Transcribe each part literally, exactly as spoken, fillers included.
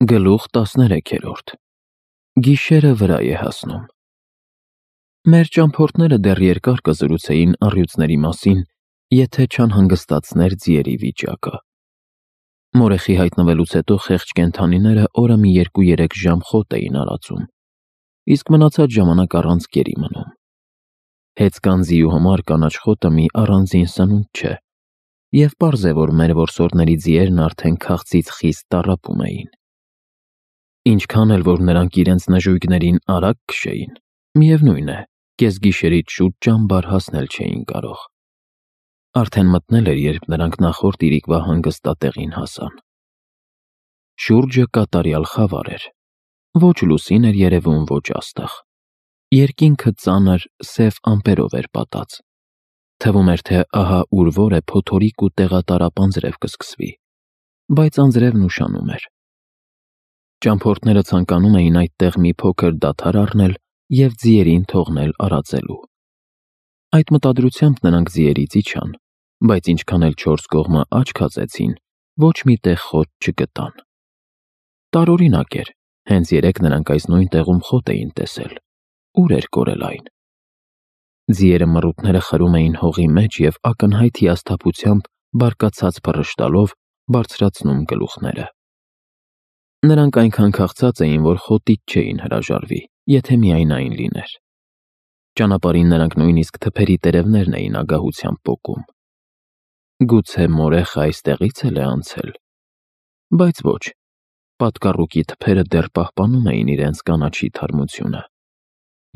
Գլուխ տասներեքերորդ Գիշերը վրա է հասնում։ Մեր ճամփորդները դեռ երկար կզրուցեին առյուծների մասին, եթե չանհանգստացներ ձիերի վիճակը։ Մորեխի հայտնվելուց հետո խեղճ կենդանիները օրը մի երկու-երեք ժամ խոտ էին արածում, իսկ մնացած ժամանակ առանց կերի մնում։ Հեծկան ձիու համար կանաչ խոտը մի առանձին սնունդ չէ, և պարզ է, որ մեր որսորդների ձիերն արդեն քաղցից խիստ տառապում էին։ Ինչքան էլ որ նրանք իրենց նժույգներին արագ քշեին, միևնույն է, կեսգիշերից շուտ ճամբար հասնել չէին կարող։ Արդեն մթնել էր, երբ նրանք նախորդ իրիկվա հանգստատեղին հասան։ Շուրջը կատարյալ խավար էր, ոչ լուսին էր երևում, ոչ աստղ։ Երկինքը ծանր, սև ամպերով էր պատած։ Թվում էր, թե ահա ուր որ է փոթորիկ ու տեղատարապ անձրև կսկսվի, բայց անձրևն ուշանում էր։ Ճամփորդները ցանկանում էին այդտեղ մի փոքր դադար առնել և ձիերին թողնել արածելու։ Այդ մտադրությամբ նրանք ձիերից իջան, բայց ինչքան էլ չորս կողմը աչք հածեցին, ոչ մի տեղ խոտ չգտան։ Տարօրինակ էր, հենց երեկ նրանք այս նույն տեղում խոտ էին տեսել։ Ուր էր կորել այն։ Ձիերը մռութները խրում էին հողի մեջ և ակնհայտ հիասթափությամբ բարկացած փռշտալով բարձրացնում գլուխները։ Նրանք այնքան քաղցած էին, որ խոտից չէին հրաժարվի, եթե միայն այն լիներ։ Ճանապարհին նրանք նույնիսկ թփերի տերևներն էին ագահությամբ պոկում։ Գուցե մորեխը այստեղից էլ է անցել։ Բայց ոչ, պատկառուկի թփերը դեռ պահպանում էին իրենց կանաչի թարմությունը։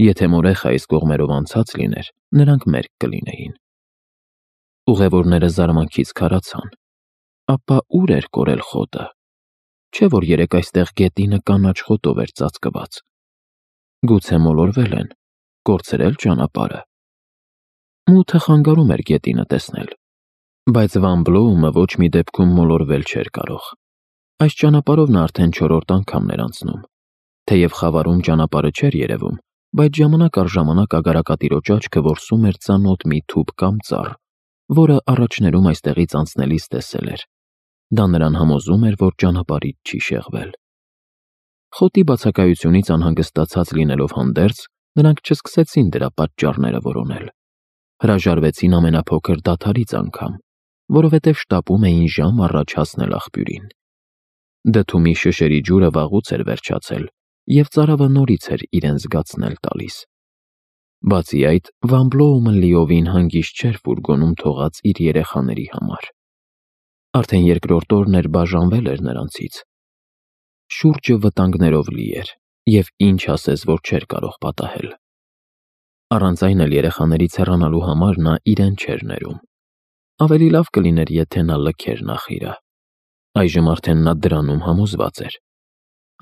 Եթե մորեխը այս կողմերով անցած լիներ, նրանք մերկ կլինեին։ Ուղևորները զարմանքից քարացան։ Ապա ուր էր կորել խոտը։ Չէ՞ որ երեկ այստեղ գետինը կանաչ խոտով էր ծածկված։ Գուցե մոլորվել են, կորցրել ճանապարհը։ Մութը խանգարում էր գետինը տեսնել, բայց Վան Բլոումը ոչ մի դեպքում մոլորվել չէր կարող։ Այս ճանապարհով նա արդեն չորրորդ անգամն էր անցնում։ Թեև խավարում ճանապարհը չէր երևում, բայց ժամանակ առ ժամանակ ագարակատիրոջ աչքը որսում էր ծանոթ մի թուփ կամ ծառ, որը առաջներում այստեղից անցնելիս տեսել էր։ Դա նրան համոզում էր, որ ճանապարհից չի շեղվել։ Խոտի բացակայությունից անհանգստացած լինելով հանդերձ, նրանք չսկսեցին դրա պատճառները որոնել։ Հրաժարվեցին ամենափոքր դադարից անգամ, որովհետև շտապում էին ժամ առաջ հասնել աղբյուրին։ Դդումի շշերի ջուրը վաղուց էր վերջացել, և ծարավը նորից էր իրեն զգացնել տալիս։ Բացի այդ, Վան Բլոումը լիովին հանգիստ չէր ֆուրգոնում թողած իր երեխաների համար։ Արդեն երկրորդ օրն էր բաժանվել էր նրանցից։ Շուրջը վտանգներով լի էր, և ինչ ասես, որ չէր կարող պատահել։ Առանց այն էլ երեխաներից հեռանալու համար նա իրեն չէր ներում։ Ավելի լավ կլիներ, եթե նա լքեր նախիրը։ Այժմ արդեն նա դրանում համոզված էր։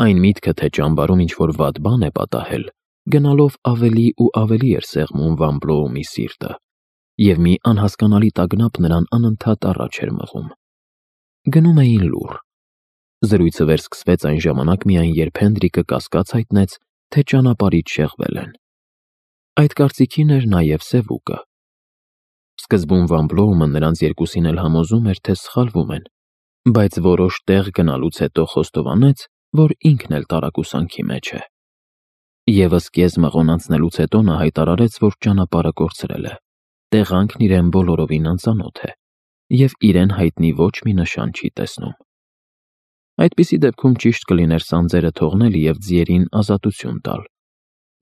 Այն միտքը, թե ճամբարում ինչ-որ վատ բան է պատահել, գնալով ավելի ու ավելի էր սեղմում Վան Բլոումի սիրտը, և մի անհասկանալի տագնապ նրան անընդհատ առաջ էր մղում։ Գնում էին լուռ։ Զրույցը վերսկսվեց այն ժամանակ միայն, երբ Հենդրիկը կասկած հայտնեց, թե ճանապարհից շեղվել են։ Այդ կարծիքին էր նաև Սևուկը։ Սկզբում Վան Բլոումը նրանց երկուսին էլ համոզում էր, թե սխալվում են, բայց որոշ տեղ գնալուց հետո խոստովանեց, որ ինքն էլ տարակուսանքի մեջ է։ Եվս կես մղոն անցնելուց հետո նա հայտարարեց, որ ճանապարհը կորցրել է, տեղանքն իրեն բոլորովին անծանոթ է, և իրեն հայտնի ոչ մի նշան չի տեսնում։ Այդպիսի դեպքում ճիշտ կլիներ սանձերը թողնել և ձիերին ազատություն տալ։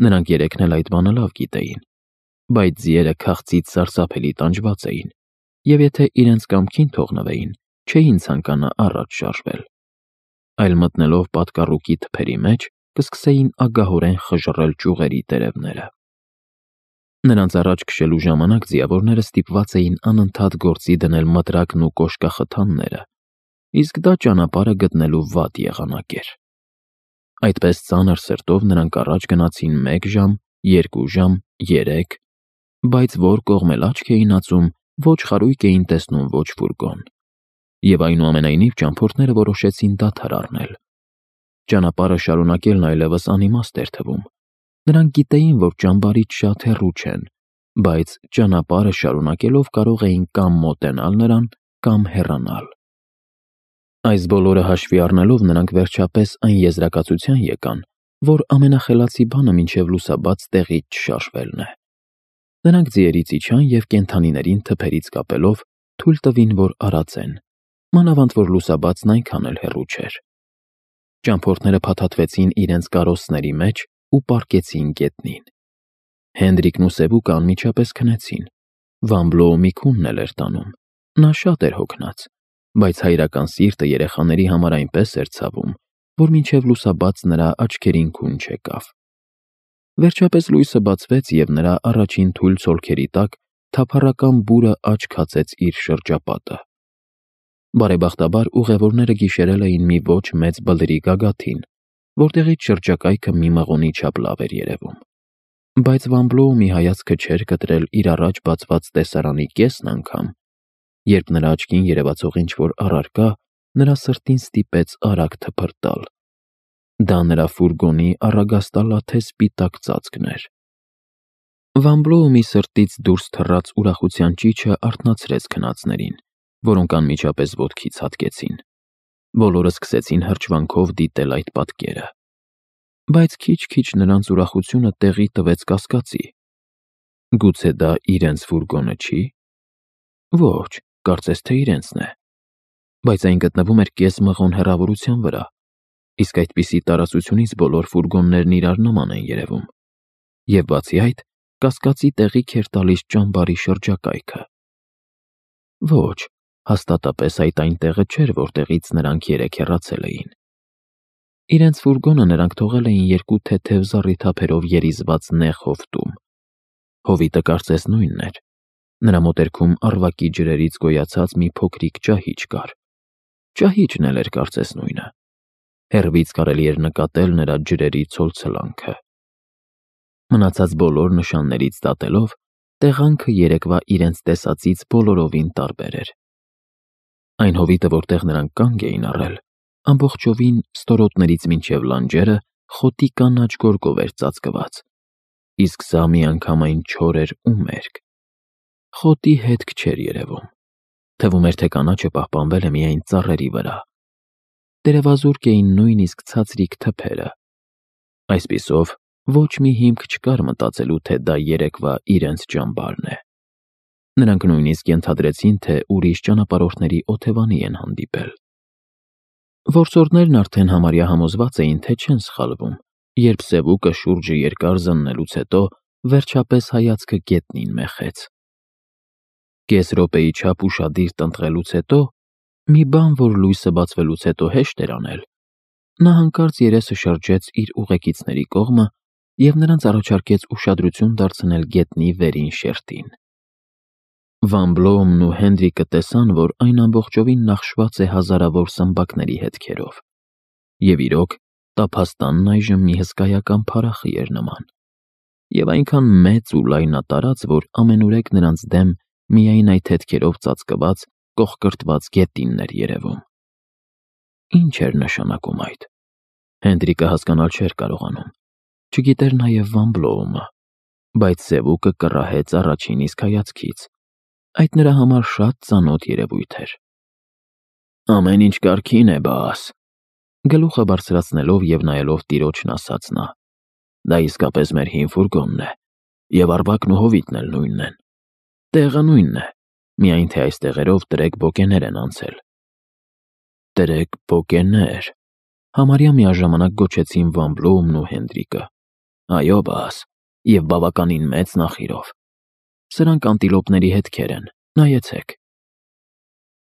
Նրանք երեքն էլ այդ բանը լավ գիտեին, բայց ձիերը քաղցից սարսափելի տանջված էին, և եթե իրենց կամքին թողնվեին, չէին ցանկանա առաջ շարժվել։ Այլ մտնելով պատկառուկի թփերի մեջ, կսկսեին ագահորեն խժռել ճյուղերի տերևները։ Նրանց առաջ քշելու ժամանակ ձիավորները ստիպված էին անընդհատ գործի դնել մտրակն ու կոշկախթանները, իսկ դա ճանապարհը գտնելու վատ եղանակ էր։ Այդպես ծանր սրտով նրանք առաջ գնացին մեկ ժամ, երկու ժամ, երեք, բայց որ կողմ էլ աչք էին ածում, ոչ խարույկ էին տեսնում, ոչ ֆուրգոն։ Եվ այնուամենայնիվ ճամփորդները որոշեցին դադար առնել։ Ճանապարհը շարունակելն այլևս անիմաստ էր թվում։ Նրանք գիտեին, որ ճամբարից շատ հեռու չեն, բայց ճանապարհը շարունակելով կարող էին կամ մոտենալ նրան, կամ հեռանալ։ Այս բոլորը հաշվի առնելով նրանք վերջապես այն եզրակացության եկան, որ ամենախելացի բանը մինչև լուսաբաց տեղից չշարժվելն է։ Նրանք ձիերից իջան և կենդանիներին թփերից կապելով թույլ տվին, որ արածեն, մանավանդ որ լուսաբացն այնքան էլ հեռու չէր։ Ճամփորդները փաթաթվեցին իրենց կարոսների մեջ ու պառկեցին գետնին։ Հենդրիկն ու Սևուկը անմիջապես քնեցին։ Վան Բլոու քունն էլ էր տանում։ Նա շատ էր հոգնած, բայց հայրական սիրտը երեխաների համար այնպես էր ցավում, որ մինչև լուսաբաց նրա աչքերին քուն չեկավ։ Վերջապես լույսը բացվեց, և նրա առաջին թույլ ցոլքերի տակ թափառական բուրը աչք հացեց իր շրջապատը։ Բարեբախտաբար ուղևորները գիշերել էին մի ոչ մեծ բլրի գագաթին, որտեղից շրջակայքը մի մղոնի չափ լավ էր երևում։ Բայց Վան Բլոու մի հայացքը չէր կտրել իր առաջ բացված տեսարանի կեսն անգամ, երբ նրա աչքին երևացող ինչ-որ առարկա նրա սրտին ստիպեց արագ թփրտալ։ Դա նրա ֆուրգոնի առագաստալաթե սպիտակ ծածկն էր։ Վան Բլոու սրտից դուրս թռած ուրախության ճիչը արթնացրեց քնածներին, որոնք անմիջապես ոտքից հատկեցին։ Բոլորը սկսեցին հրճվանքով դիտել այդ պատկերը։ Բայց քիչ-քիչ նրանց ուրախությունը տեղի տվեց կասկածի։ Գուցե դա իրենց ֆուրգոնը չի։ Ոչ, կարծես թե իրենցն է։ Բայց այն գտնվում էր կես մղոն հեռավորության վրա, իսկ այդպիսի տարածությունից բոլոր ֆուրգոններն իրար նման են երևում։ Եվ բացի այդ, կասկածի տեղիք էր տալիս ճամբարի շրջակայքը։ Ոչ, հաստատապես այդ այն տեղը չէր, որտեղից նրանք երեկ հեռացել էին։ Իրենց ֆուրգոնը նրանք թողել էին երկու թեթև զառիթափերով երիզված նեղ հովտում։ Հովիտը կարծես նույնն էր։ Նրա մոտերքում առվակի ջրերից գոյացած մի փոքրիկ ճահիճ կար։ Ճահիճն էլ էր կարծես նույնը։ Հեռվից կարելի էր նկատել նրա ջրերի ցոլցլանքը։ Մնացած բոլոր նշաններից դատելով, տեղանքը երեկվա իրենց տեսածից բոլորովին տարբեր էր։ Այն հովիտը, որտեղ նրանք կանգ էին առել, ամբողջովին ստորոտներից մինչև լանջերը խոտի կանաչ գորգով էր ծածկված, իսկ սա միանգամայն չոր էր ու մերկ։ Խոտի հետք չէր երևում։ Թվում էր, թե կանաչը պահպանվել է միայն ծառերի վրա։ Տերևազուրկ էին նույնիսկ ցածրիկ թփերը։ Այսպիսով, ոչ մի հիմք չկար մտածելու, թե դա երեկվա իրենց ճամբարն է։ Նրանք նույնիսկ ենթադրեցին, թե ուրիշ ճանապարհորդների օթևանի են հանդիպել։ Որսորդներն արդեն համարյա համոզված էին, թե չեն սխալվում, երբ Սևուկը շուրջը երկար զննելուց հետո վերջապես հայացքը գետնին մեխեց։ Կես րոպեի չափ ուշադիր տնտղելուց հետո, մի բան, որ լույսը բացվելուց հետո հեշտ էր անել, նա հանկարծ երեսը շրջեց իր ուղեկիցների կողմը և նրանց առաջարկեց ուշադրություն դարձնել գետնի վերին շերտին։ Վան Բլոուն ու Հենդրիկը տեսան, որ այն ամբողջովին նախշված է հազարավոր սմբակների հետքերով, և իրոք տափաստանն այժմ մի հսկայական փարախի էր նման, և այնքան մեծ ու լայնատարած, որ ամենուրեք նրանց դեմ միայն այդ հետքերով ծածկված, կոխկրտված գետինն էր երևում։ Ինչ էր նշանակում այդ։ Հենդրիկը հասկանալ չէր կարողանում, չգիտեր նաև Վան Բլոումը, բայց Սևուկը կռահեց առաջին իսկ հայացքից։ Այդ նրա համար շատ ծանոթ երևույթ էր։ Ամեն ինչ կարգին է, բաս, գլուխը բարձրացնելով և նայելով տիրոջն ասաց նա։ Դա իսկապես մեր հին ֆուրգոնն է, և առվակն ու հովիտն էլ նույնն են։ Տեղը նույնն է, միայն թե այս տեղերով տրեք-բոկեներ են անցել։ Տրեք-բոկեներ, համարյա միաժամանակ գոչեցին Վան Բլոումն ու Հենդրիկը։ Այո, բաս, և բավականին մեծ նախիրով։ Սրանք անտիլոպների հետքեր են, նայեցեք։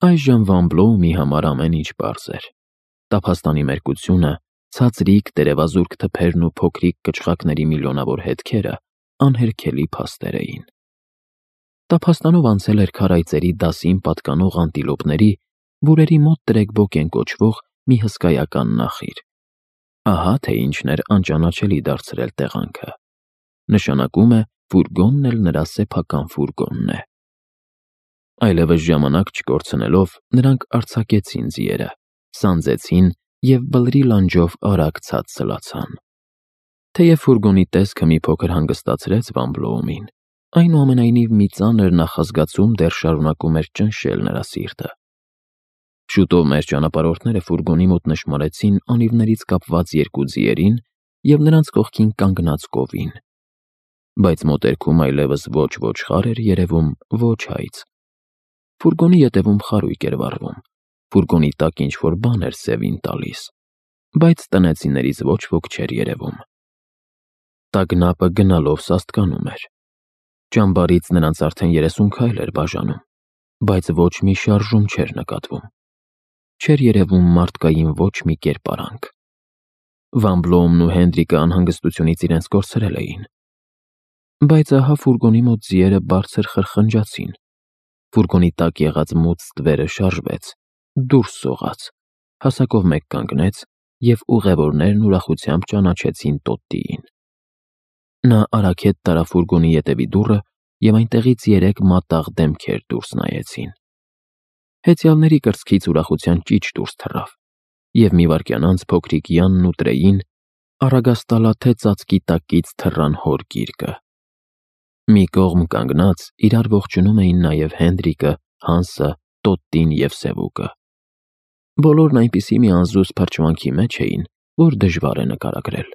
Այժմ Վան Բլոումի համար ամեն ինչ պարզ էր։ Տափաստանի մերկությունը, ցածրիկ տերևազուրկ թփերն ու փոքրիկ կչխակների միլիոնավոր հետքերը անհերքելի փաստեր էին։ Տափաստանով անցել էր քարայծերի դասին պատկանող անտիլոպների, որերի մոտ տրեք-բոկեն կոչվող մի հսկայական նախիր։ Ահա թե ինչն էր անճանաչելի դարձրել տեղանքը։ Նշանակում է, ֆուրգոնն էլ նրա սեփական ֆուրգոնն է։ Այլևս ժամանակ չկորցնելով, նրանք արձակեցին ձիերը, սանձեցին և բլրի լանջով արագ ցած սլացան։ Թեև ֆուրգոնի տեսքը մի փոքր հանգստացրեց Վան Բլոումին, այնուամենայնիվ մի ծանր նախազգացում դեռ շարունակում էր ճնշել նրա սիրտը։ Շուտով մեր ճանապարհորդները ֆուրգոնի մոտ նշմարեցին անիվներից կապված երկու ձիերին և նրանց կողքին կանգնած կովին, բայց մոտերքում այլևս ոչ-ոչ խար էր երևում, ոչ հայց։ Ֆուրգոնի ետևում խարույկ էր վառվում, ֆուրգոնի տակ ինչ-որ բան էր սևին տալիս, բայց տնեցիներից ոչ ոք չէր երևում։ Տագնապը գնալով սաստկանում էր։ Ճամբարից նրանց արդեն երեսուն քայլ էր բաժանում, բայց ոչ մի շարժում չէր նկատվում։ Չէր երևում մարդկային ոչ մի կերպարանք։ Վան Բլոումն ու Հենդրիկը անհանգստությունից իրենց կորցրել էին։ Բայց ահա ֆուրգոնի մոտ ձիերը բարձր խրխնջացին։ Ֆուրգոնի տակ եղած մութ ստվերը շարժվեց, դուրս սողաց, հասակով մեկ կանգնեց, և ուղևորներն ուրախությամբ ճանաչեցին Տոտտիին։ Նա արագ հետ տարավ ֆուրգոնի ետևի դուռը, և այնտեղից երեք մատաղ դեմքեր դուրս նայեցին։ Հեծյալների կրծքից ուրախության ճիչ դուրս թռավ, և մի վայրկյան անց փոքրիկ Յանն ու Տրեյին առագաստալաթե ծածկի տակից թռան հոր գիրկը։ Մի կողմ կանգնած իրար ողջունում էին նաև Հենդրիկը, Հանսը, Տոտտին և Սևուկը։ Բոլորն այնպիսի մի անզուսպ հրճվանքի մեջ էին, որ դժվար է նկարագրել։